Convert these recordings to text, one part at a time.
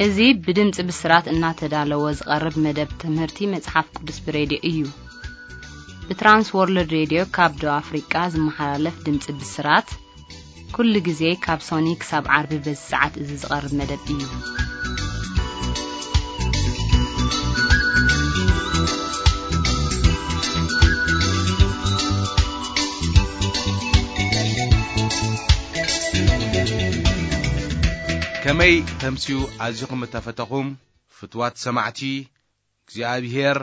እዚ ብድምፂ ብስራት እናተዳለወ ዝቐርብ መደብ ትምህርቲ መጽሓፍ ቅዱስ ብሬድዮ እዩ። ብትራንስ ወርልድ ሬድዮ ካብ ደቡብ ኣፍሪቃ ዝመሓላለፍ ድምፂ ብስራት፣ ኩሉ ግዜ ካብ ሶኒ ክሳብ ዓርቢ በዚ ሰዓት እዚ ዝቐርብ መደብ እዩ። ከመይ ተምስዩ ኣዚኹም እተፈተኹም ፍትዋት ሰማዕቲ፣ እግዚኣብሔር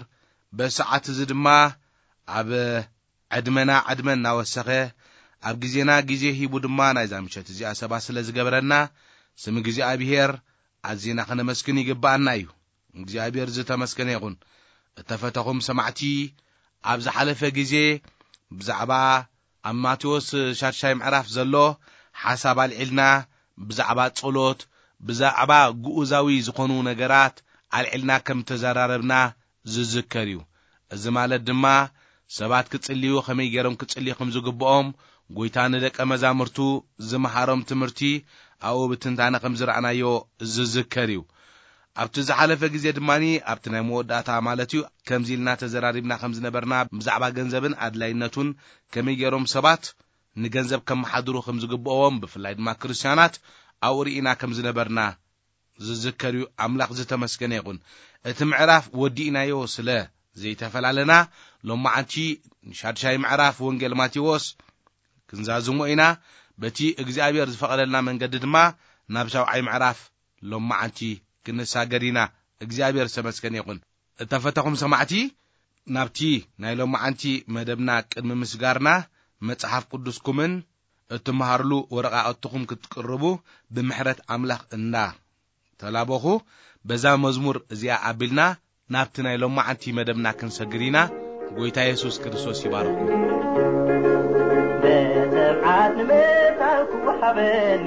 በሰዓት እዚ ድማ ኣብ ዕድመና ዕድመ እናወሰኸ፣ ኣብ ግዜና ግዜ ሂቡ ድማ ናይዛ ምሸት እዚኣ ሰባት ስለ ዝገበረና፣ ስም እግዚኣብሔር ኣዚና ከነመስግን ይግብኣና እዩ። እግዚኣብሔር ዝተመስገነ ይኹን። እተፈተኹም ሰማዕቲ፣ ኣብ ዝሓለፈ ግዜ ብዛዕባ ኣብ ማቴዎስ ሻድሻይ ምዕራፍ ዘሎ ሓሳብ ኣልዒልና፣ ብዛዕባ ጸሎት፣ ብዛዕባ ግኡዛዊ ዝኾኑ ነገራት ኣልዒልና ከም ተዘራረብና ዝዝከር እዩ። እዚ ማለት ድማ ሰባት ክጽልዩ፣ ከመይ ገይሮም ክጽልዩ ከም ዝግብኦም፣ ጎይታ ንደቀ መዛሙርቱ ዝመሃሮም ትምህርቲ ኣብኡ ብትንታነ ከም ዝረኣናዮ ዝዝከር እዩ። ኣብቲ ዝሓለፈ ግዜ ድማ፣ ኣብቲ ናይ መወዳእታ ማለት እዩ፣ ከምዚ ኢልና ተዘራሪብና ከም ዝነበርና፣ ብዛዕባ ገንዘብን ኣድላይነቱን፣ ከመይ ገይሮም ሰባት ንገንዘብ ከመሓድሩ ከም ዝግብኦም፣ ብፍላይ ድማ ክርስትያናት ኣብኡ ርኢና ከም ዝነበርና ዝዝከር እዩ። ኣምላኽ ዝተመስገነ ይኹን። እቲ ምዕራፍ ወዲእናዮ ስለ ዘይተፈላለና፣ ሎማዓንቲ ንሻድሻይ ምዕራፍ ወንጌል ማቴዎስ ክንዛዝሞ ኢና። በቲ እግዚኣብሔር ዝፈቐደልና መንገዲ ድማ ናብ ሻውዓይ ምዕራፍ ሎማዓንቲ ክንሳገር ኢና። እግዚኣብሔር ዝተመስገነ ይኹን። እተፈተኹም ሰማዕቲ፣ ናብቲ ናይ ሎማዓንቲ መደብና ቅድሚ ምስጋርና፣ መጽሓፍ ቅዱስኩምን እትመሃርሉ ወረቓቕትኹም ክትቅርቡ ብምሕረት ኣምላኽ እንዳ ተላበኹ፣ በዛ መዝሙር እዚኣ ኣቢልና ናብቲ ናይ ሎማዓንቲ መደብና ክንሰግር ኢና። ጎይታ የሱስ ክርስቶስ ይባርኽኩም። ብትብዓት ንምእታው ክወሃበኒ፣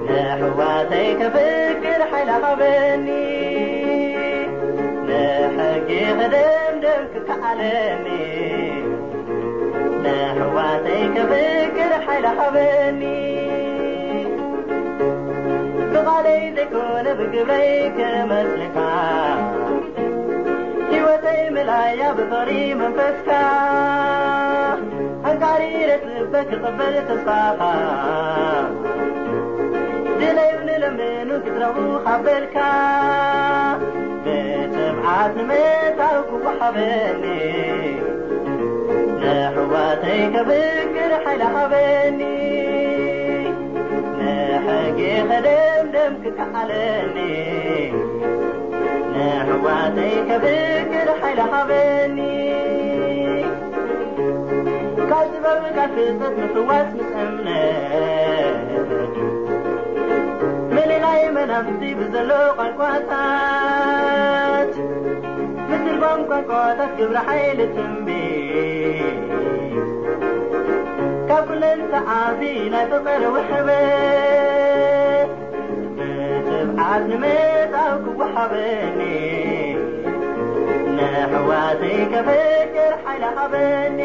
ንኣሕዋተይ ከፍቅር ሓይሊ ሃበኒ። ንሕጊ ክድምድም ክከኣለኒ፣ ንኣሕዋተይ ከፍቅር ሓይሊ ሃበኒ። ብቓለይ ዘይኮነ ብግብረይ ክመስልካ፣ ህይወተይ መላያ ብፍቕሪ መንፈስካ። ኣንቃሪረ ጽበ ክቕበል ተስፋኻ፣ ድለዩ ንለምኑ ክዝረቡ ካብ በልካ። ብትብዓት ንምእታው ክወሃበኒ፣ ንኣሕዋተይ ከፍቅር ሓይሊ ሃበኒ። ንሕጊ ከደምድም ክከኣለኒ፣ ንኣሕዋተይ ከፍቅር ሓይሊ ሃበኒ። ካብ ጥበብ ቃል ፍልጠት ምፍዋስ ምስ እምነት፣ ምልላይ መናፍስቲ ብዘሎ ቋንቋታት፣ ምትርጓም ቋንቋታት ግብረ ሓይሊ ትንቢት፣ ካብ ኩለን ሰዓቢ ናይ ፍቕሪ ውሕበት፣ ብትብዓት ንምእታው ክወሃበኒ፣ ንኣሕዋተይ ከፍቅር ሓይሊ ሃበኒ።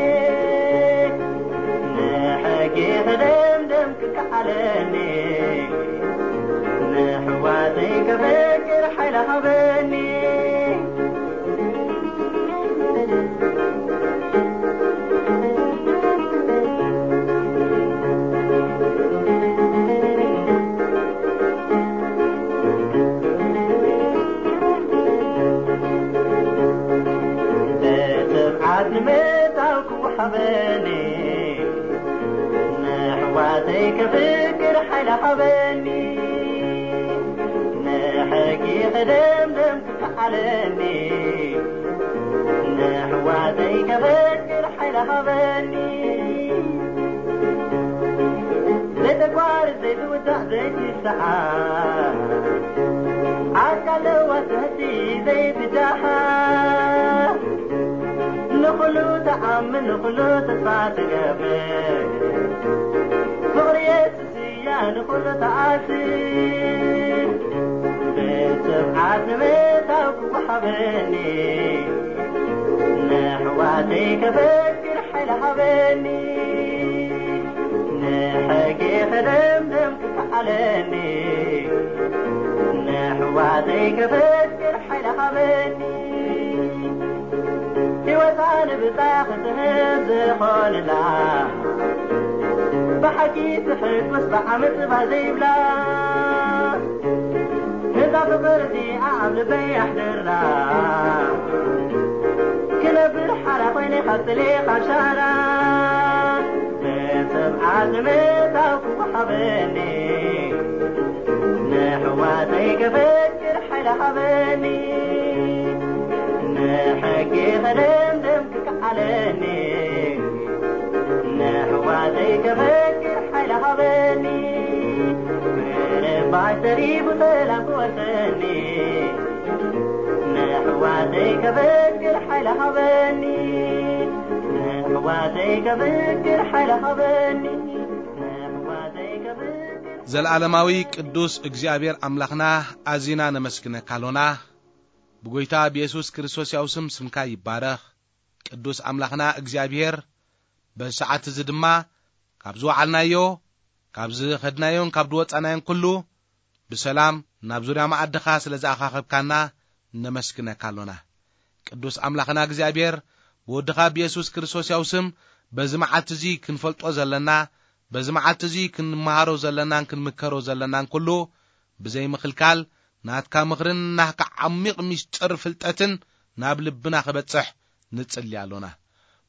ንሕጊ ከደምድም ክከኣለኒ፣ ንኣሕዋተይ ከፍቅር ሓይሊ ሃበኒ። ብትብዓት ንምእታው ክወሃበኒ፣ ንኣሕዋተይ ከፍቅር ሓይሊ ሃበኒ። ንሕጊ ከደምድም ክከኣለኒ፣ ንኣሕዋተይ ከፍቅር ሓይሊ ሃበኒ። ዘይተቋርጽ ዘይትውዳእ ዘይትሰዓር፣ ኣካል ለዋህ ትሕቲ ዘይትደሃር፣ ንኹሉ ትኣምን ንኹሉ ተስፋ ትገብር፣ ፍቕሪ የሱስ እያ ንኹሉ ትኣስር። ብትብዓት ንምእታው ክወሃበኒ፣ ንኣሕዋተይ ከፍቅር ሓይሊ ሃበኒ። ንሕጊ ከደምድም ክከኣለኒ፣ ዘይከፈክር ሓይሊ ሃበኒ፣ ህይወታ ንብጻ ክትህብ ዝኾንላ፣ ብሓቂ ትሕጎስ ብዓመጽ ባህ ዘይብላ፣ ነዛ ፍቕር እዚኣ ኣብ ልበይ ኣሕድራ፣ ክነብር ሓራ ኮይነ ካብ ጽሌ ካብ ሻራ፣ ብጽብዓ ዝመታው ክወሃበኒ፣ ንሕዋተይ ከፈክር ሓይሊ ሃበኒ፣ ንሕጊ ከደምድም ክከዓለኒ፣ ንሕዋተይ ከፈክር ሓይሊ ሃበኒ፣ ምርባሽ ተሪፉ ሰላም ክወርሰኒ፣ ንሕዋተይ ከፈክር ሓይሊ ሃበኒ፣ ንሕዋተይ ከፈክር ሓይሊ ሃበኒ፣ ንሕዋተይ ከፈክር። ዘልዓለማዊ ቅዱስ እግዚኣብሔር ኣምላኽና፣ ኣዚና ነመስግነካ ኣሎና። ብጎይታ ብየሱስ ክርስቶስ ያው ስም ስምካ ይባረኽ። ቅዱስ ኣምላኽና እግዚኣብሔር፣ በዚ ሰዓት እዚ ድማ ካብ ዝወዓልናዮ፣ ካብ ዝኸድናዮን ካብ ዝወጻናዮን ኩሉ ብሰላም ናብ ዙርያ መኣድኻ ስለ ዝኣኻኸብካና ነመስግነካ ኣሎና። ቅዱስ ኣምላኽና እግዚኣብሔር፣ ብወድኻ ብየሱስ ክርስቶስ ያው ስም በዚ መዓልቲ እዚ ክንፈልጦ ዘለና፣ በዚ መዓልቲ እዚ ክንመሃሮ ዘለናን ክንምከሮ ዘለናን ኩሉ ብዘይ ምኽልካል ናትካ ምኽርን ናትካ ዓሚቕ ምስጢር ፍልጠትን ናብ ልብና ክበጽሕ ንጽሊ ኣሎና።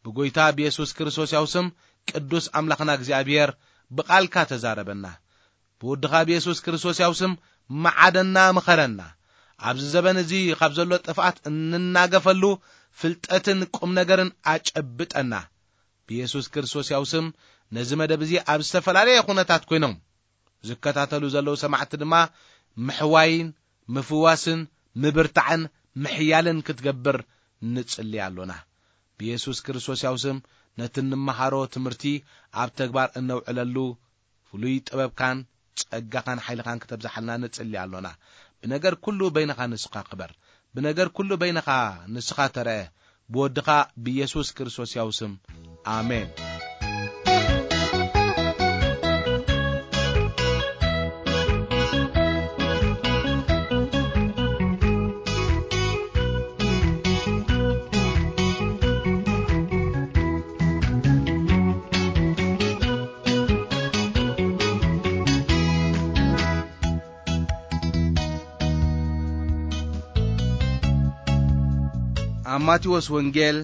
ብጎይታ ብየሱስ ክርስቶስ ያው ስም ቅዱስ ኣምላኽና እግዚኣብሔር ብቓልካ ተዛረበና። ብወድኻ ብየሱስ ክርስቶስ ያው ስም መዓደና፣ ምኸረና። ኣብዚ ዘበን እዚ ካብ ዘሎ ጥፍኣት እንናገፈሉ ፍልጠትን ቁም ነገርን ኣጨብጠና። ብየሱስ ክርስቶስ ያው ስም ነዚ መደብ እዚ ኣብ ዝተፈላለየ ኩነታት ኮይኖም ዝከታተሉ ዘለዉ ሰማዕቲ ድማ ምሕዋይን ምፍዋስን ምብርታዕን ምሕያልን ክትገብር ንጽሊ ኣሎና። ብየሱስ ክርስቶስ ያው ስም ነቲ እንመሃሮ ትምህርቲ ኣብ ተግባር እነውዕለሉ ፍሉይ ጥበብካን ጸጋኻን ሓይልኻን ክተብዝሓልና ንጽሊ ኣሎና። ብነገር ኩሉ በይንኻ ንስኻ ክበር። ብነገር ኩሉ በይንኻ ንስኻ ተረአ። ብወድኻ ብየሱስ ክርስቶስ ያው ስም። ኣሜን። ኣብ ማቴዎስ ወንጌል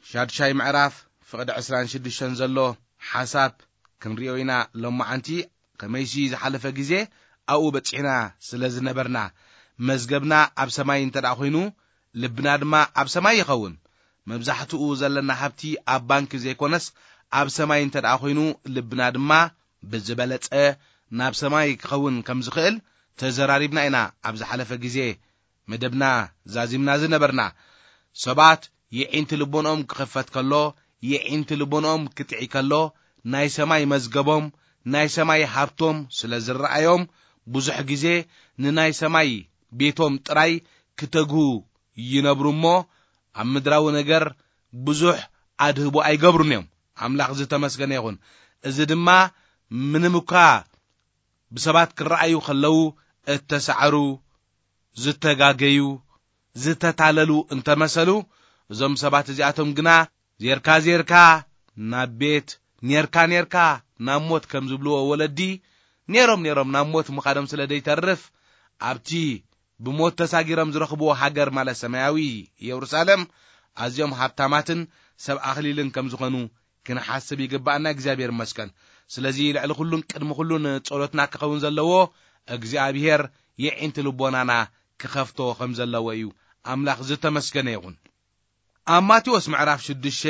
ሻድሻይ ምዕራፍ ፍቕዲ ዕስራን ሽዱሽተን ዘሎ ሓሳብ ክንሪኦ ኢና። ሎማዓንቲ ከመይሲ ዝሓለፈ ግዜ ኣብኡ በጺሕና ስለ ዝነበርና፣ መዝገብና ኣብ ሰማይ እንተ ደኣ ኾይኑ፣ ልብና ድማ ኣብ ሰማይ ይኸውን። መብዛሕትኡ ዘለና ሃብቲ ኣብ ባንክ ዘይኮነስ፣ ኣብ ሰማይ እንተ ደኣ ኾይኑ፣ ልብና ድማ ብዝበለጸ ናብ ሰማይ ክኸውን ከም ዝኽእል ተዘራሪብና ኢና ኣብ ዝሓለፈ ግዜ። መደብና ዛዚምና ዝነበርና፣ ሰባት የዒንቲ ልቦንኦም ክኽፈት ከሎ፣ የዒንቲ ልቦንኦም ክትዒ ከሎ፣ ናይ ሰማይ መዝገቦም፣ ናይ ሰማይ ሃብቶም ስለ ዝረኣዮም፣ ብዙሕ ግዜ ንናይ ሰማይ ቤቶም ጥራይ ክተግሁ ይነብሩ እሞ፣ ኣብ ምድራዊ ነገር ብዙሕ ኣድህቦ ኣይገብሩን እዮም። ኣምላኽ ዝተመስገነ ይኹን። እዚ ድማ ምንም እኳ ብሰባት ክረኣዩ ከለዉ እተሳዕሩ፣ ዝተጋገዩ፣ ዝተታለሉ እንተመሰሉ፣ እዞም ሰባት እዚኣቶም ግና ዜርካ ዜርካ ናብ ቤት፣ ኔርካ ኔርካ ናብ ሞት ከም ዝብልዎ ወለዲ፣ ኔሮም ኔሮም ናብ ሞት ምኻዶም ስለ ዘይተርፍ፣ ኣብቲ ብሞት ተሳጊሮም ዝረኽብዎ ሃገር ማለት ሰማያዊ ኢየሩሳሌም ኣዝዮም ሃብታማትን ሰብ ኣኽሊልን ከም ዝኾኑ ክንሓስብ ይግብኣና። እግዚኣብሔር ይመስገን። ስለዚ ልዕሊ ኩሉን ቅድሚ ኩሉን ጸሎትና ክኸውን ዘለዎ እግዚኣብሔር የዒንቲ ልቦናና ክኸፍቶ ከም ዘለዎ እዩ። ኣምላኽ ዝተመስገነ ይኹን። ኣብ ማቴዎስ ምዕራፍ ሽዱሽተ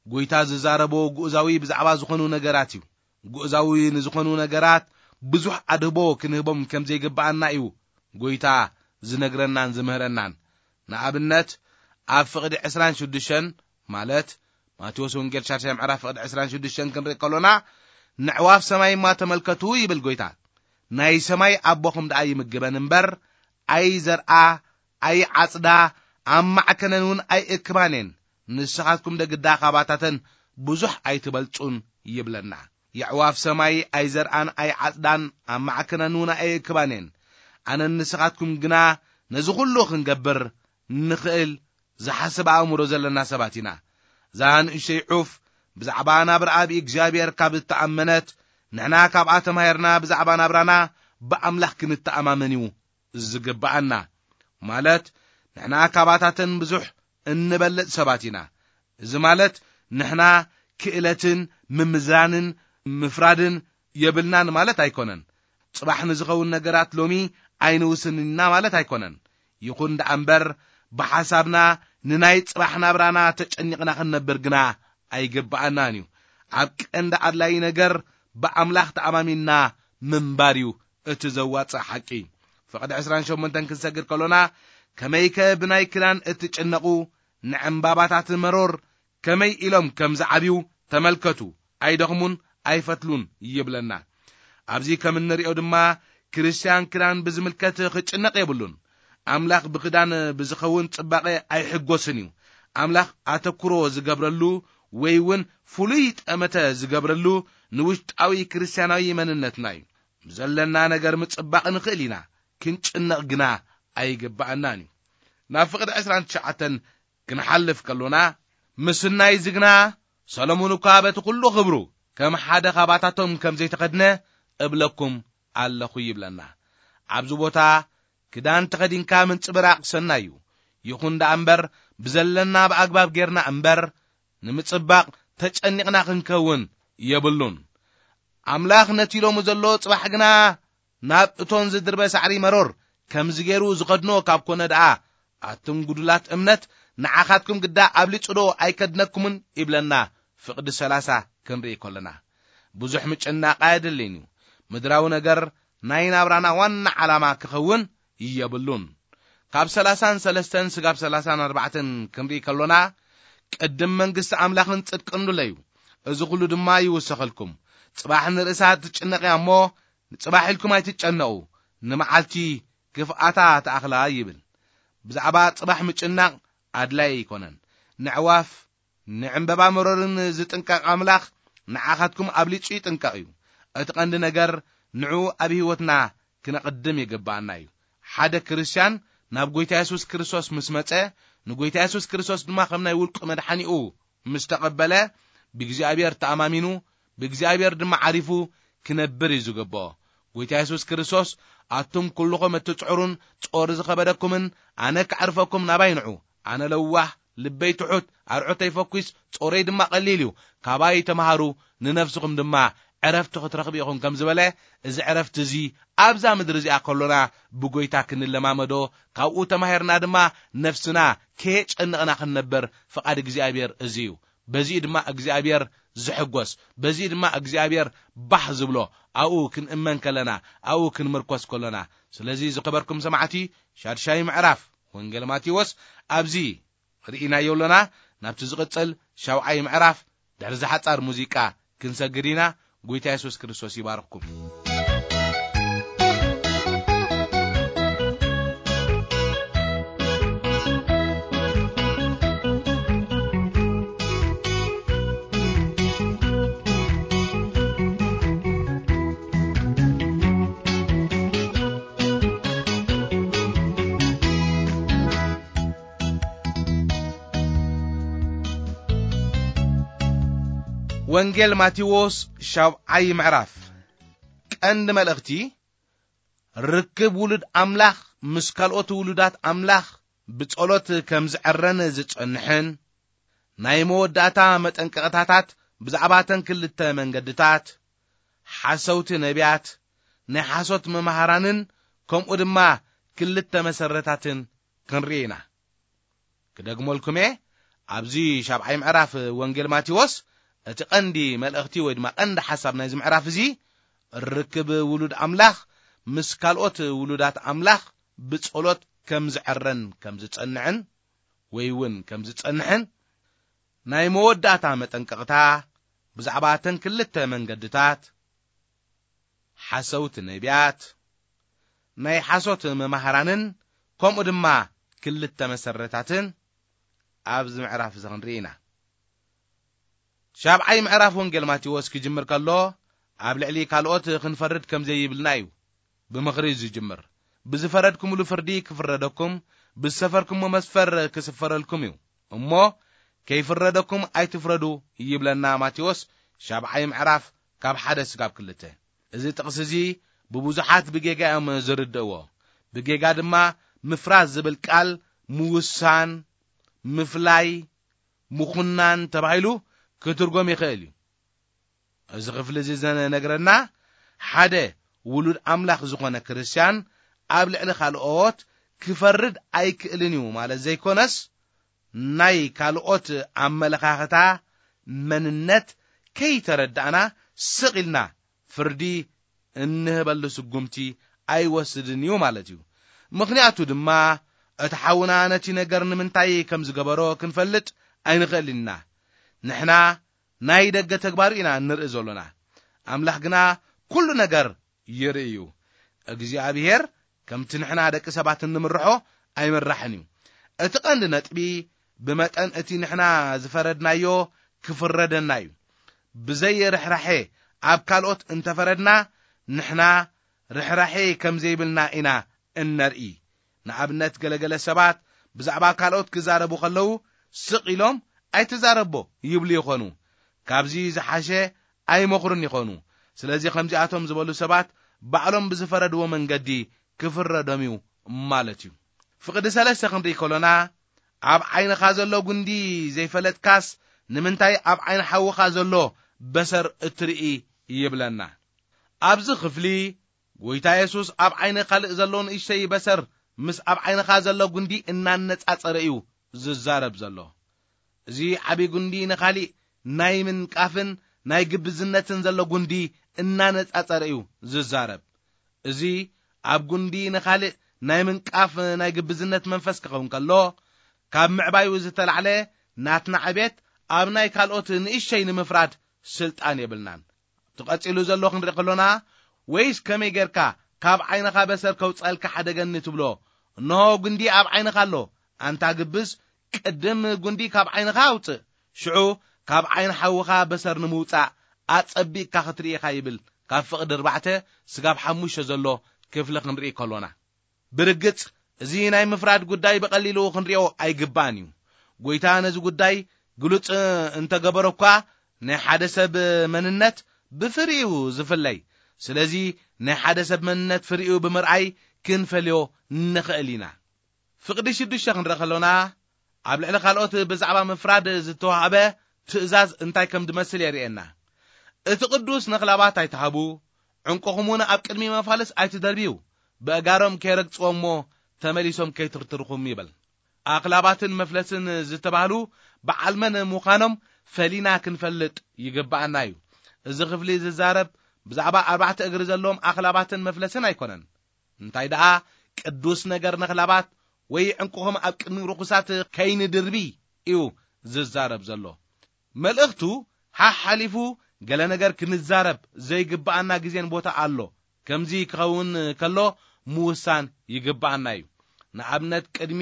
ጎይታ ዝዛረቦ ግኡዛዊ ብዛዕባ ዝኾኑ ነገራት እዩ። ግኡዛዊ ንዝኾኑ ነገራት ብዙሕ ኣድህቦ ክንህቦም ከም ዘይግብኣና እዩ ጎይታ ዝነግረናን ዝምህረናን። ንኣብነት ኣብ ፍቕዲ ዕስራን ሽዱሽተን ማለት ማቴዎስ ወንጌል ሻድሻይ ምዕራፍ ፍቕዲ ዕስራን ሽዱሽተን ክንርኢ ከሎና፣ ንዕዋፍ ሰማይ እማ ተመልከቱ ይብል ጎይታ። ናይ ሰማይ ኣቦኹም ደኣ ይምግበን እምበር፣ ኣይዘርኣ፣ ኣይዓጽዳ፣ ኣብ ማዕከነን እውን ኣይእክባን እየን። ንስኻትኩም ደግዳ ካባታተን ብዙሕ ኣይትበልጹን ይብለና። የዕዋፍ ሰማይ ኣይዘርኣን ኣይዓጽዳን፣ ኣብ ማዕከነን እውን ኣይእክባን እየን። ኣነን ንስኻትኩም ግና ነዚ ኩሉ ክንገብር ንኽእል ዝሓስብ ኣእምሮ ዘለና ሰባት ኢና። እዛ ንእሽተይ ዑፍ ብዛዕባ ናብርኣ ብእግዚኣብሔር ካብ እተኣመነት፣ ንሕና ካብኣ ተማሂርና ብዛዕባ ናብራና ብኣምላኽ ክንተኣማመን እዩ ዝግብኣና። ማለት፣ ንሕና ካባታተን ብዙሕ እንበልጽ ሰባት ኢና። እዚ ማለት፣ ንሕና ክእለትን ምምዝራንን ምፍራድን የብልናን ማለት ኣይኮነን። ጽባሕ ንዝኸውን ነገራት ሎሚ ኣይንውስንን ኢና ማለት ኣይኮነን። ይኹን ደኣ እምበር፣ ብሓሳብና ንናይ ጽባሕ ናብራና ተጨኒቕና ክንነብር ግና ኣይግብኣናን እዩ። ኣብ ቀንዲ ኣድላዪ ነገር ብኣምላኽ ተኣማሚንና ምንባር እዩ እቲ ዘዋጽእ ሓቂ። ፍቕዲ ዕስራን ሸሞንተን ክንሰግድ ከሎና፣ ከመይከ ብናይ ክዳን እትጭነቑ፣ ንዕምባባታት መሮር ከመይ ኢሎም ከም ዝዓብዩ ተመልከቱ፣ ኣይደኽሙን ኣይፈትሉን ይብለና። ኣብዚ ከም እንሪኦ ድማ፣ ክርስትያን ክዳን ብዝምልከት ክጭነቕ የብሉን። ኣምላኽ ብክዳን ብዝኸውን ጽባቐ ኣይሕጎስን እዩ። ኣምላኽ ኣተኩሮ ዝገብረሉ ወይ እውን ፍሉይ ጠመተ ዝገብረሉ ንውሽጣዊ ክርስትያናዊ መንነትና እዩ። ብዘለና ነገር ምጽባቕ ንኽእል ኢና፣ ክንጭነቕ ግና ኣይግብኣናን እዩ። ናብ ፍቕዲ ዕስራን ትሽዓተን ክንሓልፍ ከሎና፣ ምስናይ ዝግና ሰሎሞን እኳ በቲ ኩሉ ክብሩ ከም ሓደ ካባታቶም ከም ዘይተኸድነ እብለኩም ኣለኹ ይብለና። ኣብዚ ቦታ ክዳን ተኸዲንካ ምንጽብራቕ ሰናይ እዩ። ይኹን ደኣ እምበር፣ ብዘለና ብኣግባብ ጌርና እምበር፣ ንምጽባቕ ተጨኒቕና ክንከውን የብሉን። ኣምላኽ ነቲ ኢሎሙ ዘሎ ጽባሕ ግና ናብ እቶን ዝድርበ ሳዕሪ መሮር ከምዚ ገይሩ ዝኸድኖ ካብ ኮነ ደኣ፣ ኣቱም ጉዱላት እምነት፣ ንዓኻትኩም ግዳ ኣብሊጹ ዶ ኣይከድነኩምን? ይብለና ፍቕዲ ሰላሳ ክንርኢ ከለና። ብዙሕ ምጭናቕ ኣየድልን እዩ። ምድራዊ ነገር ናይ ናብራና ዋና ዓላማ ክኸውን የብሉን። ካብ ሰላሳን ሰለስተን ስጋብ ሰላሳን ኣርባዕተን ክንርኢ ከሎና፣ ቅድም መንግስቲ ኣምላኽን ጽድቅን ድለዩ፣ እዚ ኩሉ ድማ ይውሰኸልኩም። ጽባሕ ንርእሳ ትጭነቕ እያ እሞ፣ ንጽባሕ ኢልኩም ኣይትጨነቑ፣ ንመዓልቲ ክፍኣታ ትኣኽላ ይብል። ብዛዕባ ጽባሕ ምጭናቕ ኣድላይ ኣይኮነን። ንዕዋፍ፣ ንዕምበባ መሮርን ዝጥንቀቕ ኣምላኽ ንዓኻትኩም ኣብሊጹ ይጥንቀቕ እዩ። እቲ ቀንዲ ነገር ንዕኡ ኣብ ህይወትና ክነቕድም ይግብኣና እዩ። ሓደ ክርስትያን ናብ ጐይታ የሱስ ክርስቶስ ምስ መጸ፣ ንጐይታ የሱስ ክርስቶስ ድማ ከም ናይ ውልቁ መድሓኒኡ ምስ ተቐበለ፣ ብእግዚኣብሔር ተኣማሚኑ፣ ብእግዚኣብሔር ድማ ዓሪፉ ክነብር እዩ ዝግብኦ። ጐይታ የሱስ ክርስቶስ፣ ኣቱም ኩልኹም እትጽዕሩን ጾር ዝኸበደኩምን፣ ኣነ ከዕርፈኩም ናባይ ንዑ፣ ኣነ ለዋህ፣ ልበይ ትሑት፣ ኣርዑተይ ፈኲስ፣ ጾረይ ድማ ቀሊል እዩ፣ ካባይ ተምሃሩ፣ ንነፍስኹም ድማ ዕረፍቲ ክትረኽቡ ኢኹም ከም ዝበለ፣ እዚ ዕረፍቲ እዚ ኣብዛ ምድሪ እዚኣ ከሎና ብጐይታ ክንለማመዶ፣ ካብኡ ተማሂርና ድማ ነፍስና ከየጨነቕና ክንነብር ፍቓድ እግዚኣብሔር እዚ እዩ። በዚኡ ድማ እግዚኣብሔር ዝሕጎስ፣ በዚኡ ድማ እግዚኣብሔር ባህ ዝብሎ፣ ኣብኡ ክንእመን ከለና፣ ኣብኡ ክንምርኮስ ከሎና። ስለዚ ዝኸበርኩም ሰማዕቲ፣ ሻድሻይ ምዕራፍ ወንጌል ማቴዎስ ኣብዚ ርኢናዮ ኣሎና። ናብቲ ዝቕጽል ሻውዓይ ምዕራፍ ድሕሪ ዝሓጻር ሙዚቃ ክንሰግድ ኢና። ጐይታ የሱስ ክርስቶስ ይባርኽኩም። ወንጌል ማቴዎስ ሻብዓይ ምዕራፍ። ቀንዲ መልእኽቲ፣ ርክብ ውሉድ ኣምላኽ ምስ ካልኦት ውሉዳት ኣምላኽ ብጸሎት ከም ዝዕረን ዝጸንሕን፣ ናይ መወዳእታ መጠንቀቕታታት ብዛዕባ እተን ክልተ መንገድታት፣ ሓሰውቲ ነቢያት፣ ናይ ሓሶት መማህራንን ከምኡ ድማ ክልተ መሰረታትን ክንርኢ ኢና። ክደግመልኩም እየ፣ ኣብዚ ሻብዓይ ምዕራፍ ወንጌል ማቴዎስ እቲ ቀንዲ መልእኽቲ ወይ ድማ ቀንዲ ሓሳብ ናይዚ ምዕራፍ እዚ፣ ርክብ ውሉድ ኣምላኽ ምስ ካልኦት ውሉዳት ኣምላኽ ብጸሎት ከም ዝዕረን ከም ዝጸንዕን ወይ እውን ከም ዝጸንሕን፣ ናይ መወዳእታ መጠንቀቕታ ብዛዕባ እተን ክልተ መንገድታት፣ ሓሰውቲ ነቢያት፣ ናይ ሓሶት መማህራንን ከምኡ ድማ ክልተ መሰረታትን ኣብዚ ምዕራፍ እዚ ክንርኢ ኢና። ሻብዓይ ምዕራፍ ወንጌል ማቴዎስ ክጅምር ከሎ፣ ኣብ ልዕሊ ካልኦት ክንፈርድ ከም ዘይብልና እዩ ብምኽሪ ዝጅምር። ብዝፈረድኩምሉ ፍርዲ ክፍረደኩም፣ ብዝሰፈርኩሞ መስፈር ክስፈረልኩም እዩ። እሞ ከይፍረደኩም ኣይትፍረዱ ይብለና ማቴዎስ ሻብዓይ ምዕራፍ ካብ ሓደ ስጋብ ክልተ። እዚ ጥቕሲ እዚ ብብዙሓት ብጌጋ እዮም ዝርድእዎ። ብጌጋ ድማ ምፍራድ ዝብል ቃል ምውሳን፣ ምፍላይ፣ ምኹናን ተባሂሉ ክትርጎም ይኽእል እዩ። እዚ ክፍሊ እዚ ዘነግረና፣ ሓደ ውሉድ ኣምላኽ ዝኾነ ክርስትያን ኣብ ልዕሊ ካልኦት ክፈርድ ኣይክእልን እዩ ማለት ዘይኮነስ፣ ናይ ካልኦት ኣመለኻኽታ፣ መንነት ከይተረዳእና ስቕ ኢልና ፍርዲ እንህበሉ ስጉምቲ ኣይወስድን እዩ ማለት እዩ። ምኽንያቱ ድማ እቲ ሓውና ነቲ ነገር ንምንታይ ከም ዝገበሮ ክንፈልጥ ኣይንኽእልን ኢና። ንሕና ናይ ደገ ተግባሩ ኢና እንርኢ ዘሎና። ኣምላኽ ግና ኩሉ ነገር ይርኢ እዩ። እግዚኣብሔር ከምቲ ንሕና ደቂ ሰባት እንምርሖ ኣይምራሕን እዩ። እቲ ቀንዲ ነጥቢ ብመጠን እቲ ንሕና ዝፈረድናዮ ክፍረደና እዩ። ብዘይ ርሕራሐ ኣብ ካልኦት እንተፈረድና ንሕና ርሕራሐ ከም ዘይብልና ኢና እነርኢ። ንኣብነት ገለገለ ሰባት ብዛዕባ ካልኦት ክዛረቡ ከለዉ ስቕ ኢሎም ኣይትዛረቦ ይብሉ ይኾኑ። ካብዚ ዝሓሸ ኣይመኽሩን ይኾኑ። ስለዚ ከምዚኣቶም ዝበሉ ሰባት ባዕሎም ብዝፈረድዎ መንገዲ ክፍረዶም እዩ ማለት እዩ። ፍቕዲ ሰለስተ ክንርኢ ከሎና ኣብ ዓይንኻ ዘሎ ጉንዲ ዘይፈለጥካስ ንምንታይ ኣብ ዓይኒ ሓውኻ ዘሎ በሰር እትርኢ ይብለና። ኣብዚ ክፍሊ ጎይታ የሱስ ኣብ ዓይኒ ካልእ ዘሎ ንእሽተይ በሰር ምስ ኣብ ዓይንኻ ዘሎ ጉንዲ እናነጻጸረ እዩ ዝዛረብ ዘሎ። እዚ ዓቢ ጉንዲ ንኻሊእ ናይ ምንቃፍን ናይ ግብዝነትን ዘሎ ጉንዲ እናነጻጸረ እዩ ዝዛረብ። እዚ ኣብ ጉንዲ ንኻልእ ናይ ምንቃፍ ናይ ግብዝነት መንፈስ ክኸውን ከሎ፣ ካብ ምዕባዩ ዝተላዕለ ናትና ዕቤት ኣብ ናይ ካልኦት ንእሽተይ ንምፍራድ ስልጣን የብልናን። ትቐጺሉ ዘሎ ክንርኢ ከሎና፣ ወይስ ከመይ ጌርካ ካብ ዓይንኻ በሰር ከውጸልካ ሓደገኒ ትብሎ? እንሆ ጉንዲ ኣብ ዓይንኻ ኣሎ፣ ኣንታ ግብዝ፣ ቅድም ጉንዲ ካብ ዓይንኻ ኣውጽእ፣ ሽዑ ካብ ዓይኒ ሓውኻ በሰር ንምውጻእ ኣጸቢቕካ ክትርኢ ኢኻ ይብል። ካብ ፍቕዲ ኣርባዕተ ስጋብ ሓሙሽተ ዘሎ ክፍሊ ክንርኢ ከሎና። ብርግጽ፣ እዚ ናይ ምፍራድ ጉዳይ ብቐሊሉ ክንሪኦ ኣይግባእን እዩ። ጎይታ ነዚ ጉዳይ ግሉጽ እንተገበሮ እኳ፣ ናይ ሓደ ሰብ መንነት ብፍሪኡ ዝፍለይ። ስለዚ፣ ናይ ሓደ ሰብ መንነት ፍሪኡ ብምርኣይ ክንፈልዮ ንኽእል ኢና። ፍቕዲ ሽዱሽተ ክንርኢ ከሎና፣ ኣብ ልዕሊ ካልኦት ብዛዕባ ምፍራድ ዝተዋህበ ትእዛዝ እንታይ ከም ዝመስል የርእየና። እቲ ቅዱስ ነኽላባት ኣይትሃቡ፣ ዕንቁኹም እውን ኣብ ቅድሚ መፋልስ ኣይትደርብዩ፣ ብኣእጋሮም ከይረግጽዎ እሞ ተመሊሶም ከይትርትርኹም ይብል። ኣኽላባትን መፍለስን ዝተባህሉ በዓል መን ምዃኖም ፈሊና ክንፈልጥ ይግብኣና እዩ። እዚ ክፍሊ ዝዛረብ ብዛዕባ ኣርባዕተ እግሪ ዘለዎም ኣኽላባትን መፍለስን ኣይኮነን። እንታይ ደኣ ቅዱስ ነገር ነኽላባት ወይ ዕንቁኹም ኣብ ቅድሚ ርኹሳት ከይንድርቢ እዩ ዝዛረብ ዘሎ። መልእኽቱ ሓሓሊፉ ገለ ነገር ክንዛረብ ዘይግብኣና ግዜን ቦታ ኣሎ። ከምዚ ክኸውን ከሎ ምውሳን ይግብኣና እዩ። ንኣብነት ቅድሚ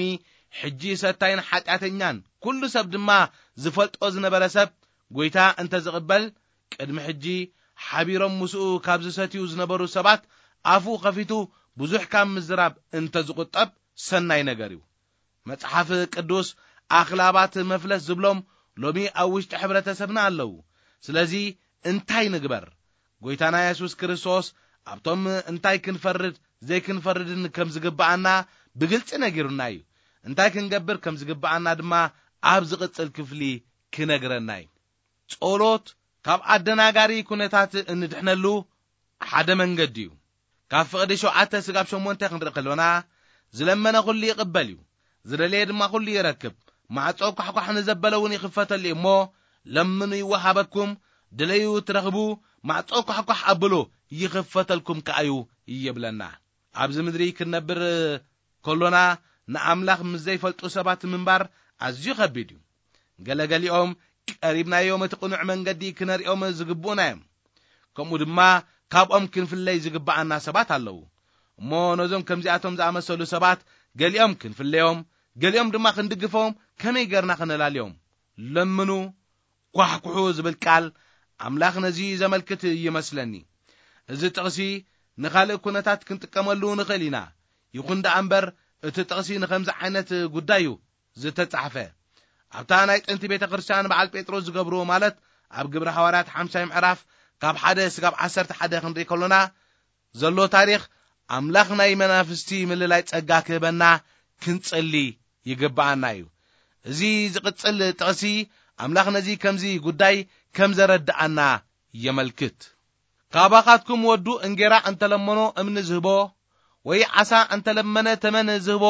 ሕጂ ሰታይን ሓጢኣተኛን ኩሉ ሰብ ድማ ዝፈልጦ ዝነበረ ሰብ ጎይታ እንተ ዝቕበል፣ ቅድሚ ሕጂ ሓቢሮም ምስኡ ካብ ዝሰትዩ ዝነበሩ ሰባት ኣፉ ከፊቱ ብዙሕ ካብ ምዝራብ እንተ ዝቑጠብ ሰናይ ነገር እዩ። መጽሓፍ ቅዱስ ኣኽላባት መፍለስ ዝብሎም ሎሚ ኣብ ውሽጢ ሕብረተሰብና ኣለዉ። ስለዚ እንታይ ንግበር? ጎይታና የሱስ ክርስቶስ ኣብቶም እንታይ ክንፈርድ ዘይክንፈርድን ከም ዝግብኣና ብግልጺ ነጊሩና እዩ። እንታይ ክንገብር ከም ዝግብኣና ድማ ኣብ ዝቕጽል ክፍሊ ክነግረና እዩ። ጸሎት ካብ ኣደናጋሪ ኩነታት እንድሕነሉ ሓደ መንገዲ እዩ። ካብ ፍቕዲ ሸውዓተ ስጋብ ሸሞንተ ክንርኢ ከሎና፣ ዝለመነ ኩሉ ይቕበል እዩ፣ ዝደለየ ድማ ኩሉ ይረክብ፣ ማዕጾ ኳሕኳሕ ንዘበለ እውን ይኽፈተሉ እዩ እሞ፣ ለምኑ ይወሃበኩም፣ ድለዩ ትረኽቡ፣ ማዕጾ ኳሕኳሕ ኣብሉ ይኽፈተልኩም ከኣ እዩ ይብለና። ኣብዚ ምድሪ ክንነብር ከሎና ንኣምላኽ ምስ ዘይፈልጡ ሰባት ምንባር ኣዝዩ ከቢድ እዩ። ገለገሊኦም ቀሪብናዮም እቲ ቅኑዕ መንገዲ ክነርእዮም ዝግብኡና እዮም። ከምኡ ድማ ካብኦም ክንፍለይ ዝግብኣና ሰባት ኣለዉ። እሞ ነዞም ከምዚኣቶም ዝኣመሰሉ ሰባት ገሊኦም ክንፍለዮም፣ ገሊኦም ድማ ክንድግፎም ከመይ ጌርና ክነላልዮም? ለምኑ፣ ኳሕኩሑ ዝብል ቃል ኣምላኽ ነዚ ዘመልክት ይመስለኒ። እዚ ጥቕሲ ንኻልእ ኩነታት ክንጥቀመሉ ንኽእል ኢና። ይኹን ደኣ እምበር፣ እቲ ጥቕሲ ንኸምዚ ዓይነት ጉዳይ እዩ ዝተጻሕፈ። ኣብታ ናይ ጥንቲ ቤተ ክርስቲያን በዓል ጴጥሮስ ዝገብርዎ፣ ማለት ኣብ ግብረ ሃዋርያት ሓምሳይ ምዕራፍ ካብ ሓደ ስጋብ ዓሰርተ ሓደ ክንርኢ ከሎና ዘሎ ታሪኽ፣ ኣምላኽ ናይ መናፍስቲ ምልላይ ጸጋ ክህበና ክንጽሊ ይግብኣና እዩ። እዚ ዝቕጽል ጥቕሲ፣ ኣምላኽ ነዚ ከምዚ ጉዳይ ከም ዘረድኣና የመልክት። ካባኻትኩም ወዱ እንጌራ እንተለመኖ እምኒ ዝህቦ፣ ወይ ዓሳ እንተለመነ ተመን ዝህቦ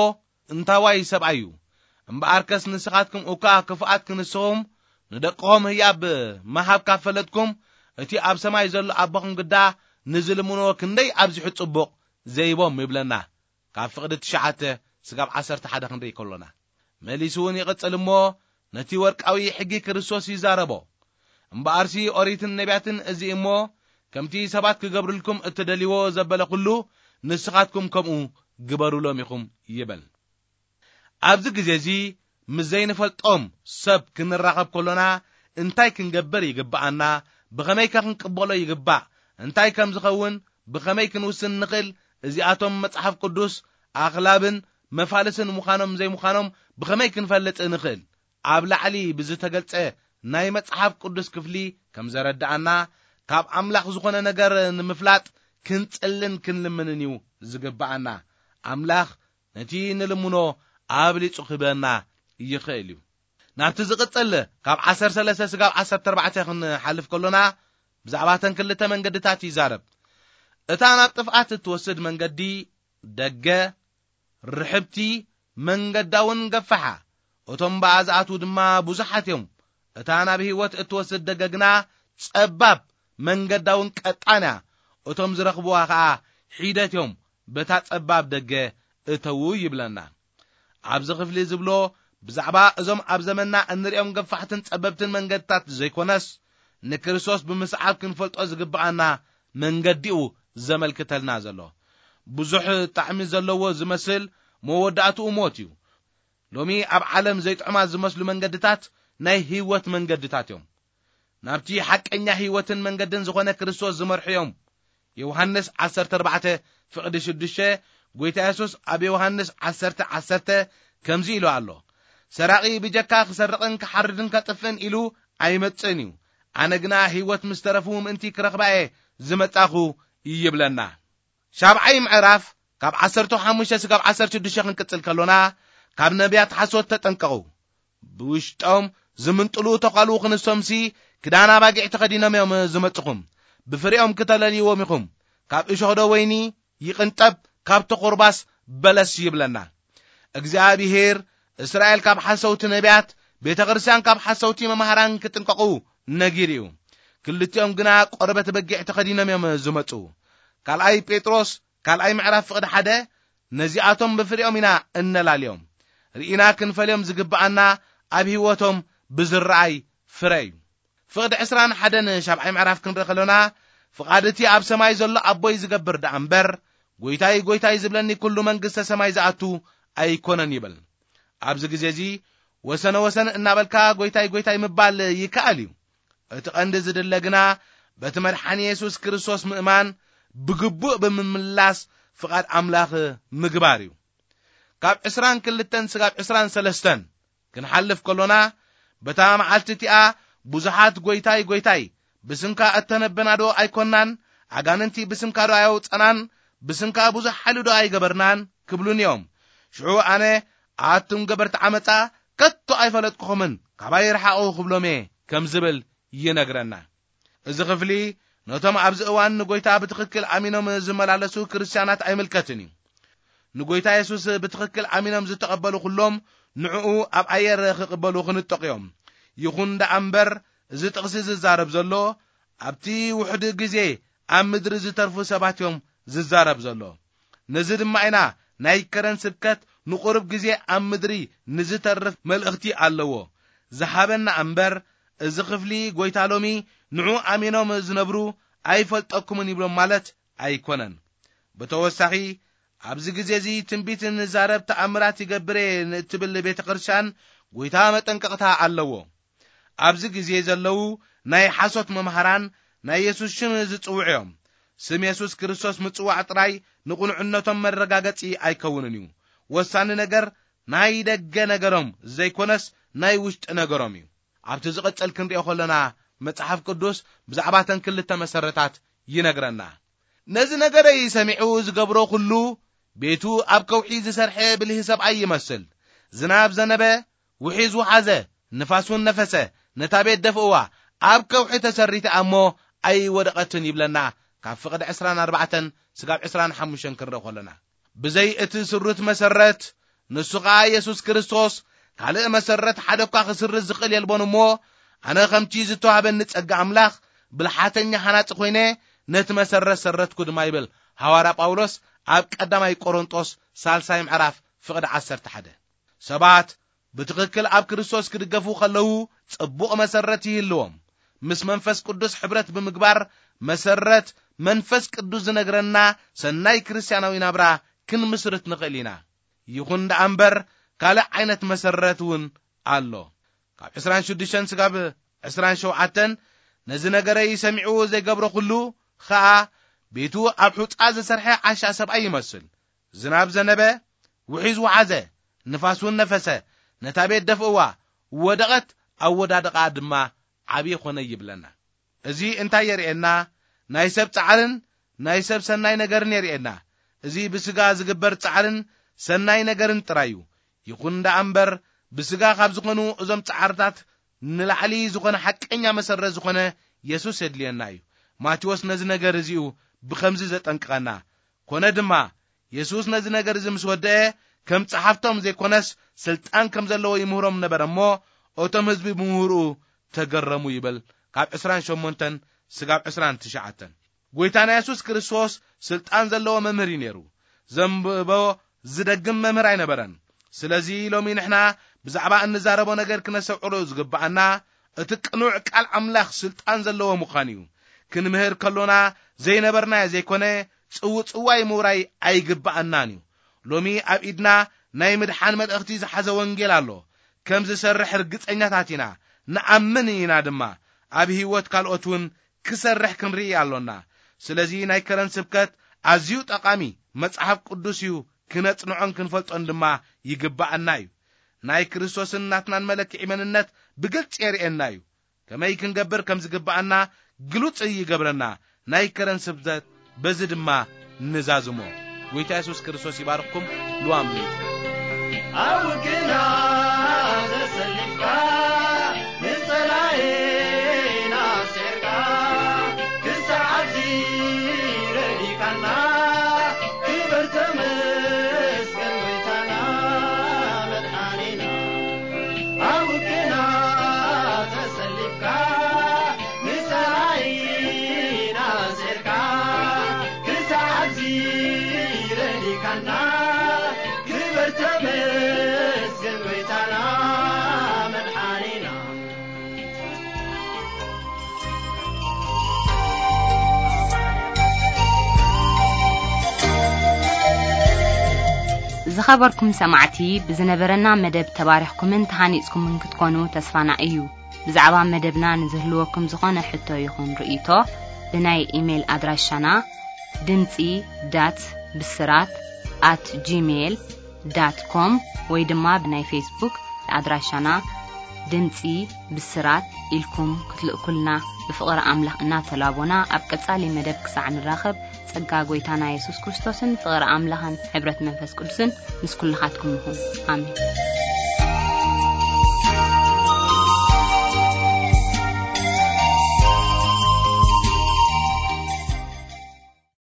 እንታዋይ ሰብኣይ እዩ? እምበኣርከስ ንስኻትኩም እኳ ክፉኣት ክንስኹም፣ ንደቅኹም ህያብ ምሃብ ካብ ፈለጥኩም፣ እቲ ኣብ ሰማይ ዘሎ ኣቦኹም ግዳ ንዝልምንዎ ክንደይ ኣብዚሑ ጽቡቕ ዘይቦም ይብለና። ካብ ፍቕዲ ትሽዓተ ስጋብ ዓሰርተ ሓደ ክንርኢ ከሎና፣ መሊሱ እውን ይቕጽል እሞ፣ ነቲ ወርቃዊ ሕጊ ክርስቶስ ይዛረቦ። እምበኣርሲ ኦሪትን ነቢያትን እዚ እሞ፣ ከምቲ ሰባት ክገብርልኩም እትደልይዎ ዘበለ ኩሉ፣ ንስኻትኩም ከምኡ ግበሩሎም ኢኹም ይብል። ኣብዚ ግዜ እዚ ምስ ዘይንፈልጦም ሰብ ክንራኸብ ከሎና እንታይ ክንገብር ይግብኣና? ብኸመይከ ክንቅበሎ ይግባእ? እንታይ ከም ዝኸውን ብኸመይ ክንውስን ንኽእል? እዚኣቶም መጽሓፍ ቅዱስ ኣኽላብን መፋልስን ምዃኖም ዘይምዃኖም ብኸመይ ክንፈልጥ ንኽእል? ኣብ ላዕሊ ብዝተገልጸ ናይ መጽሓፍ ቅዱስ ክፍሊ ከም ዘረድኣና፣ ካብ ኣምላኽ ዝኾነ ነገር ንምፍላጥ ክንጽልን ክንልምንን እዩ ዝግብኣና። ኣምላኽ ነቲ ንልምኖ ኣብሊጹ ክህበና ይኽእል እዩ። ናብቲ ዝቕጽል ካብ ዓሰርተ ሰለስተ ስጋብ ዓሰርተ ኣርባዕተ ክንሓልፍ ከሎና፣ ብዛዕባ እተን ክልተ መንገድታት ይዛረብ። እታ ናብ ጥፍኣት እትወስድ መንገዲ ደገ፣ ርሕብቲ፣ መንገዳ እውን ገፋሓ፣ እቶም ብኣ ዝኣትዉ ድማ ብዙሓት እዮም። እታ ናብ ህይወት እትወስድ ደገ ግና ጸባብ፣ መንገዳ እውን ቀጣን እያ። እቶም ዝረኽብዋ ኸኣ ሒደት እዮም፣ በታ ጸባብ ደገ እተዉ ይብለና። ኣብዚ ክፍሊ ዝብሎ ብዛዕባ እዞም ኣብ ዘመንና እንርእዮም ገፋሕትን ጸበብትን መንገድታት ዘይኮነስ፣ ንክርስቶስ ብምስዓብ ክንፈልጦ ዝግብኣና መንገዲኡ ዘመልክተልና ዘሎ። ብዙሕ ጣዕሚ ዘለዎ ዝመስል መወዳእትኡ ሞት እዩ። ሎሚ ኣብ ዓለም ዘይጥዑማት ዝመስሉ መንገድታት ናይ ህይወት መንገድታት እዮም። ናብቲ ሓቀኛ ህይወትን መንገድን ዝኾነ ክርስቶስ ዝመርሑ እዮም። ዮሃንስ ዓሰርተ ኣርባዕተ ፍቕዲ ሽዱሽተ፣ ጎይታ የሱስ ኣብ ዮሃንስ ዓሰርተ ዓሰርተ ከምዚ ኢሉ ኣሎ፣ "ሰራቒ ብጀካ ክሰርቕን ክሓርድን ከጥፍእን ኢሉ ኣይመጽእን እዩ። ኣነ ግና ህይወት ምስ ተረፉ ምእንቲ ክረኽባ እየ ዝመጻኹ" ይብለና። ሻብዓይ ምዕራፍ ካብ ዓሰርተ ሓሙሽተ ስጋብ ዓሰርተ ሽዱሽተ ክንቅጽል ከሎና፣ ካብ ነቢያት ሓሶት ተጠንቀቑ። ብውሽጦም ዝምንጥሉ ተዃሉ ክንሶምሲ፣ ክዳን ኣባጊዕ ተኸዲኖም እዮም ዝመጽኹም። ብፍሬኦም ክተለልይዎም ኢኹም። ካብ እሾኽ ዶ ወይኒ ይቕንጠብ፣ ካብ ተቑርባስ በለስ ይብለና። እግዚኣብሔር እስራኤል ካብ ሓሰውቲ ነቢያት፣ ቤተ ክርስቲያን ካብ ሓሰውቲ መማህራን ክጥንቀቑ ነጊሩ እዩ። ክልቲኦም ግና ቆርበት በጊዕ ተኸዲኖም እዮም ዝመጹ። ካልኣይ ጴጥሮስ ካልኣይ ምዕራፍ ፍቕዲ ሓደ፣ ነዚኣቶም ብፍሬኦም ኢና እነላልዮም። ርኢና ክንፈልዮም ዝግብኣና ኣብ ህይወቶም ብዝረኣይ ፍረ እዩ። ፍቕዲ ዕስራን ሓደን ሻብዓይ ምዕራፍ ክንርኢ ከሎና፣ ፍቓድ እቲ ኣብ ሰማይ ዘሎ ኣቦይ ዝገብር ደኣ እምበር፣ "ጎይታይ፣ ጎይታይ" ዝብለኒ ኩሉ መንግስተ ሰማይ ዝኣቱ ኣይኮነን ይብል። ኣብዚ ግዜ እዚ ወሰነ ወሰን እናበልካ "ጎይታይ፣ ጎይታይ" ምባል ይከኣል እዩ። እቲ ቀንዲ ዝድለ ግና በቲ መድሓኒ የሱስ ክርስቶስ ምእማን፣ ብግቡእ ብምምላስ ፍቓድ ኣምላኽ ምግባር እዩ። ካብ ዕስራን ክልተን ስጋብ ዕስራን ሰለስተን ክንሓልፍ ከሎና፣ በታ መዓልቲ እቲኣ ብዙሓት "ጎይታይ፣ ጎይታይ፣ ብስምካ እተነበና ዶ ኣይኮናን? ኣጋንንቲ ብስምካ ዶ ኣየውጸናን? ብስምካ ብዙሕ ሓይሊ ዶ ኣይገበርናን?" ክብሉኒ እዮም። ሽዑ ኣነ፣ "ኣቱም ገበርቲ ዓመጻ፣ ከቶ ኣይፈለጥኩኹምን፣ ካባይ ርሓቑ" ክብሎም እየ ከም ዝብል ይነግረና። እዚ ክፍሊ ነቶም ኣብዚ እዋን ንጎይታ ብትኽክል ኣሚኖም ዝመላለሱ ክርስትያናት ኣይምልከትን እዩ። ንጎይታ የሱስ ብትኽክል ኣሚኖም ዝተቐበሉ ኩሎም ንዕኡ ኣብ ኣየር ክቕበሉ ክንጠቕ እዮም። ይኹን ደኣ እምበር፣ እዚ ጥቕሲ ዝዛረብ ዘሎ ኣብቲ ውሕድ ግዜ ኣብ ምድሪ ዝተርፉ ሰባት እዮም ዝዛረብ ዘሎ። ነዚ ድማ ኢና ናይ ከረን ስብከት ንቁሩብ ግዜ ኣብ ምድሪ ንዝተርፍ መልእኽቲ ኣለዎ ዝሃበና እምበር፣ እዚ ክፍሊ ጎይታ ሎሚ ንዑ ኣሚኖም ዝነብሩ "ኣይፈልጠኩምን" ይብሎም ማለት ኣይኮነን። ብተወሳኺ፣ ኣብዚ ግዜ እዚ ትንቢት ንዛረብ፣ ተኣምራት ይገብር እየ ንእትብል ቤተ ክርስቲያን ጎይታ መጠንቀቕታ ኣለዎ። ኣብዚ ግዜ ዘለዉ ናይ ሓሶት መምሃራን ናይ የሱስ ሽም ዝጽውዑ እዮም። ስም የሱስ ክርስቶስ ምጽዋዕ ጥራይ ንቕኑዕነቶም መረጋገጺ ኣይከውንን እዩ። ወሳኒ ነገር ናይ ደገ ነገሮም ዘይኮነስ ናይ ውሽጢ ነገሮም እዩ። ኣብቲ ዝቕጽል ክንሪኦ ከለና፣ መጽሓፍ ቅዱስ ብዛዕባ እተን ክልተ መሰረታት ይነግረና። ነዚ ነገረይ ሰሚዑ ዝገብሮ ኩሉ፣ ቤቱ ኣብ ከውሒ ዝሰርሐ ብልሂ ሰብኣይ ይመስል። ዝናብ ዘነበ፣ ውሒዝ ውሓዘ፣ ንፋስ እውን ነፈሰ፣ ነታ ቤት ደፍእዋ፣ ኣብ ከውሒ ተሰሪታ እሞ ኣይወደቐትን ይብለና፣ ካብ ፍቕዲ ዕስራን ኣርባዕተን ስጋብ ዕስራን ሓሙሽተን ክንርኢ ከለና። ብዘይ እቲ ስሩት መሰረት፣ ንሱ ኸኣ የሱስ ክርስቶስ፣ ካልእ መሰረት ሓደ እኳ ክስርዝ ዝኽእል የልቦን እሞ፣ ኣነ ከምቲ ዝተዋህበኒ ጸጋ ኣምላኽ፣ ብልሓተኛ ሃናጺ ኮይነ፣ ነቲ መሰረት ሰረትኩ ድማ ይብል ሃዋርያ ጳውሎስ ኣብ ቀዳማይ ቆሮንጦስ ሳልሳይ ምዕራፍ ፍቕዲ ዓሰርተ ሓደ። ሰባት ብትኽክል ኣብ ክርስቶስ ክድገፉ ከለዉ፣ ጽቡቕ መሰረት ይህልዎም። ምስ መንፈስ ቅዱስ ሕብረት ብምግባር፣ መሰረት መንፈስ ቅዱስ ዝነግረና ሰናይ ክርስትያናዊ ናብራ ክንምስርት ንኽእል ኢና። ይኹን ደኣ እምበር፣ ካልእ ዓይነት መሰረት እውን ኣሎ። ካብ ዕስራን ሽዱሽተን ስጋብ ዕስራን ሸውዓተን፣ ነዚ ነገረይ ሰሚዑ ዘይገብሮ ኩሉ ኸኣ፣ ቤቱ ኣብ ሑጻ ዝሰርሐ ዓሻ ሰብኣይ ይመስል። ዝናብ ዘነበ፣ ውሒዝ ወሓዘ፣ ንፋስ እውን ነፈሰ፣ ነታ ቤት ደፍእዋ፣ ወደቐት፣ ኣወዳድቓ ድማ ዓብዪ ኾነ ይብለና። እዚ እንታይ የርእየና? ናይ ሰብ ጻዕርን ናይ ሰብ ሰናይ ነገርን የርእየና። እዚ ብስጋ ዝግበር ጻዕርን ሰናይ ነገርን ጥራይ እዩ። ይኹን ደኣ እምበር፣ ብስጋ ካብ ዝኾኑ እዞም ጻዕርታት ንላዕሊ ዝኾነ ሓቀኛ መሰረት ዝኾነ የሱስ የድልየና እዩ። ማቴዎስ ነዚ ነገር እዚኡ ብኸምዚ ዘጠንቅቐና። ኮነ ድማ፣ የሱስ ነዚ ነገር እዚ ምስ ወደአ፣ ከም ጸሓፍቶም ዘይኮነስ፣ ስልጣን ከም ዘለዎ ይምህሮም ነበረ እሞ፣ እቶም ህዝቢ ብምህሮኡ ተገረሙ ይብል፣ ካብ ዕስራን ሸሞንተን ስጋብ ዕስራን ትሽዓተን። ጐይታና የሱስ ክርስቶስ ስልጣን ዘለዎ መምህር እዩ ነይሩ። ዘንብቦ ዝደግም መምህር ኣይነበረን። ስለዚ ሎሚ ንሕና ብዛዕባ እንዛረቦ ነገር ክነስተውዕሎ ዝግብኣና፣ እቲ ቅኑዕ ቃል ኣምላኽ ስልጣን ዘለዎ ምዃን እዩ። ክንምህር ከሎና ዘይነበርናዮ ዘይኮነ፣ ጽውጽዋይ ምውራይ ኣይግብኣናን እዩ። ሎሚ ኣብ ኢድና ናይ ምድሓን መልእኽቲ ዝሓዘ ወንጌል ኣሎ። ከም ዝሰርሕ ርግጸኛታት ኢና፣ ንኣምን ኢና ድማ። ኣብ ህይወት ካልኦት እውን ክሰርሕ ክንርኢ ኣሎና። ስለዚ ናይ ከረን ስብከት ኣዝዩ ጠቓሚ መጽሓፍ ቅዱስ እዩ፣ ክነጽንዖን ክንፈልጦን ድማ ይግብኣና እዩ። ናይ ክርስቶስን ናትናን መለክዒ መንነት ብግልጺ የርእየና እዩ። ከመይ ክንገብር ከም ዝግብኣና ግሉጽ ይገብረና። ናይ ከረን ስብከት በዚ ድማ ንዛዝሞ። ጐይታ የሱስ ክርስቶስ ይባርኽኩም። ልዋም ሊት ኣብ ውግና ተሰሊፍካ፣ ንጸላኤና ኣስዒርካ፣ ክሳዕ ኣብዚ ረዲካና፣ ክብር ተመስገን ጎይታና መድሓኒና። ኣብ ውግና ተሰሊፍካ፣ ንጸላኢና ኣስዒርካ፣ ክሳዕ ኣብዚ ረዲካና፣ ክብር ተመስገን ጎይታና መድሓኒና። ዝኸበርኩም ሰማዕቲ፣ ብዝነበረና መደብ ተባሪኽኩምን ተሃኒጽኩምን ክትኮኑ ተስፋና እዩ። ብዛዕባ መደብና ንዝህልወኩም ዝኾነ ሕቶ ይኹን ርእይቶ፣ ብናይ ኢሜይል ኣድራሻና ድምጺ ዳት ብስራት ኣት ጂሜይል ዳት ኮም ወይ ድማ ብናይ ፌስቡክ ኣድራሻና ድምጺ ብስራት ኢልኩም ክትልእኩልና ብፍቕሪ ኣምላኽ እናተላቦና፣ ኣብ ቀጻሊ መደብ ክሳዕ ንራኸብ፣ ጸጋ ጐይታና የሱስ ክርስቶስን ፍቕሪ ኣምላኽን ሕብረት መንፈስ ቅዱስን ምስ ኩልኻትኩም ይኹን። ኣሜን።